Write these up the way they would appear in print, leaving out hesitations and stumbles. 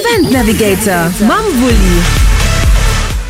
Event Navigator mam Wulli.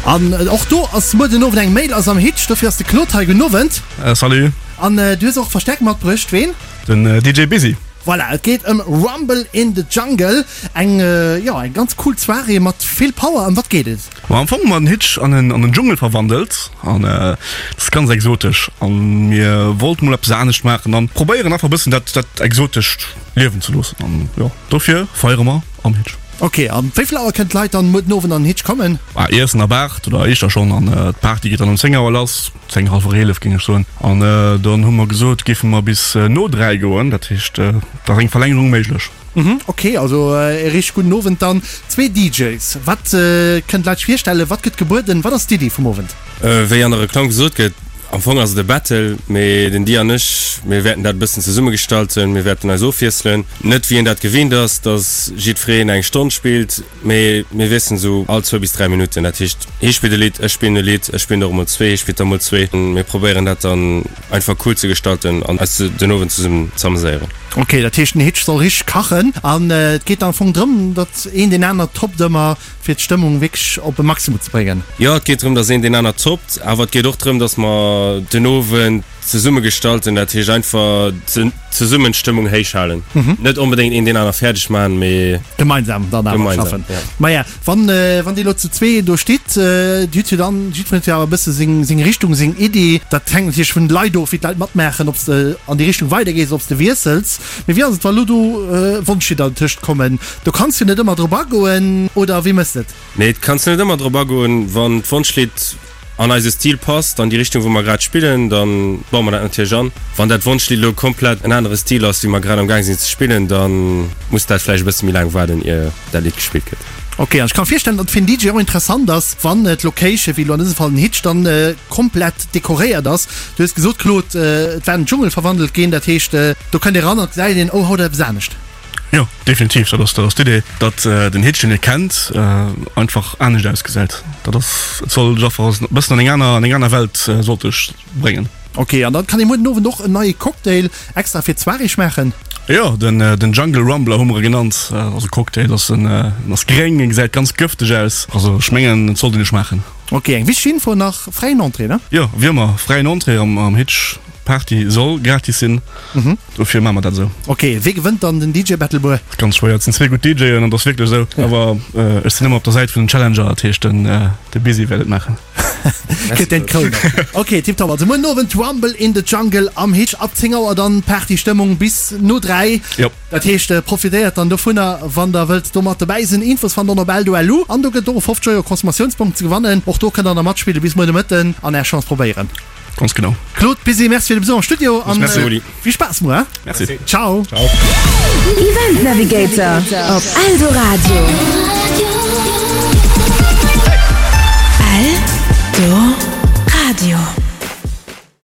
An och do ass muer den Owend eng Mail ass am Hitch, dofir ass de Claude hei. Gudden Owend. Salut. An du hues och Verstärkung matbruecht. Ween? Den DJ Busy. Voilà, et geet ëm Rumble in the Jungle, eng, jo, eng ganz cool Soirée mat vill Power. Ëm wat geet et? Ma am Fong hu mer den Hitch an en an en Dschungel verwandelt an dat ass ganz exotesch an mir wollten mol eppes anescht maachen an probéieren einfach e bëssen dat dat Exotescht liewen ze loossen an jo dofir feiere mer am Hitch. Ok, an wéi vill Auer kënnen d'Leit dann muer den Owend an den Hitch kommen? Ah, Iessen ab 8 oder éischter schonn an d'Party geet dann um 10 Auer lass, 10, hallwer 11 géing ech soen. An dann hu mer gesot, géife mer bis no 3 goen, dat heescht, da ass eng Verlängerung méiglech. Mhm, ok, also e richteg gudden Owend dann. Zwee DJs, wat kënnen d'Leit sech virstellen, wat gëtt gebueden, wat ass d'Iddi vum Owend? Wéi an der Reklamm gesot gëtt, am Fong ass et e Battle, mee den Di an ech, mir wäerten dat e bëssen zesumme gestalten, mir wäerten eis ofwiesselen. Net wéi een dat gewinnt ass, dass jiddwereen eng Stonn spillt, mee mir wiesselen esou all zwou bis 3 Minutten. Dat heescht, hie spillt e Lidd, ech spillen e Lidd, ech spillen der och emol zwee, hie spillt der emol zwee. Mir probéieren dat dann einfach cool ze gestalten an eis den Owend zesummen z'ameséieren. Ok, dat heescht den Hitch soll richteg kachen an et geet am Fong drëm, datt een deen aner toppt ëmmer fir d'Stëmmung wierklech op e Maximum ze bréngen. Jo, et geet drëm, datt een deen aner toppt, awer et geet och drëm, datt mer den Owend zesumme gestalten, dat heescht einfach zesummen d'Stëmmung héich halen. Net onbedéngt een deen aner fäerdeg maachen, mee. Gemeinsam dann awer Gemeinsam, schaffen. ja. Maja, wann, wann Dir elo zu zwee do stitt, Dir hutt jo dann, jiddwereen huet jo awer e bësse seng, seng Richtung, seng Iddi. Dat hänkt natierlech vun de Leit of, wéi d'Leit matmaachen, ob s de an déi Richtung weidergees, ob s de wiessels. Mee wéi ass et, wa lo do Wonschlidder dertëscht kommen? Do kanns du net ëmmer drop agoen, oder wéi mëss de et? Nee, et kanns du net ëmmer drop agoen. Wann d'Wonschlidd an eise Stil passt, an déi Richtung wou mer grad spillen, da baue mer dat natierlech an. Wann dat Wonschlidd elo komplett en anere Stil ass, wéi mer grad am Gaang sinn ze spillen, da muss dat vläicht e bësse méi laang waarden, ier dat Lidd gespillt gëtt. Ok, an ech ka mer virstellen, datt et fir en DJ och interessant ass, wann d'Location, wéi elo an dësem Fall den Hitch, dann komplett dekoréiert ass. Du hues gesot, Claude, et war an den Dschungel verwandelt ginn, dat heescht, do kënnt ee ran an et gesäit een, oh, haut eppes anescht. Jo, definitiv, dat ass, dat ass d'Idee, datt den Hitch, deen ee kennt, einfach anescht ausgesäit. Dat ass, et soll dech einfach e bëssen an eng aner, an eng aner Welt sollt dech bréngen. Ok, an dann kann ee muer den Owend och en neie Cocktail extra fir d'Soirée schmaachen? Jo, den, den Jungle Rumbler hu mer e genannt. Dat ass e Cocktail, ass en, en ass gréng, e gesäit ganz gëfteg aus. Also ech mengen, et sollt een e schmaachen. Ok, eng wichteg Info nach, fräien Entrée, ne? Jo, wéi ëmmer, fräien Entrée am, am Hitch. D'Party soll gratis sinn, dofir maache mer dat esou. Ok, wee gewënnt dann den DJ Battle muer? Ganz schwéier, et sinn zwee gutt DJen an et ass wierklech esou, awer ech sinn ëmmer op der Säit vun den Challenger, dat heescht den de Busy wäert et maachen. Kritt deen d'Kroun och. Ok, tiptop, also muer den Owend Rumble in the Jungle am Hitch ab 10 Auer dann Partystëmmung bis no 3. Jop. Dat heescht profitéiert dann dovunner wann der wëllt do mat dobäi sinn. Infos fannt der op eldo.lu an do gëtt et och e 50 Euro Consommatiounsbong ze gewannen. Och do kënnt der nach matspillen bis muer de Mëtten an är Chance probéieren. Ganz genau. Claude, Busy, merci fir de Besuch am Studio an Merci, Rudi. vill Spaass muer. Merci. Ciao. Event Navigator op Eldoradio.